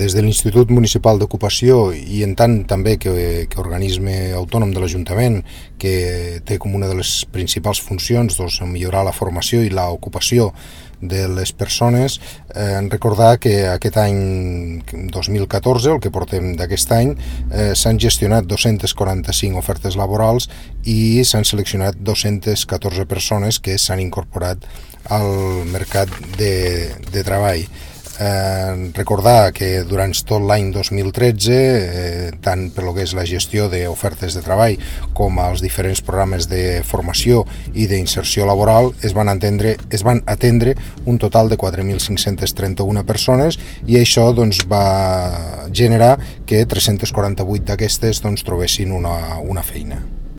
des de l'Institut Municipal d'Ocupació i en tant també que organisme autònom de l'Ajuntament, que té com una de les principals funcions millorar la formació i l'ocupació de les persones, recordar que aquest any 2014, el que portem d'aquest any, s'han gestionat 245 ofertes laborals i s'han seleccionat 214 persones que s'han incorporat al mercat de treball. Recordar que durant tot l'any 2013, tant per lo que és la gestió d'ofertes de treball com els diferents programes de formació i d'inserció laboral, es van atendre un total de 4.531 persones i això va generar que 348 d'aquestes trobessin una feina.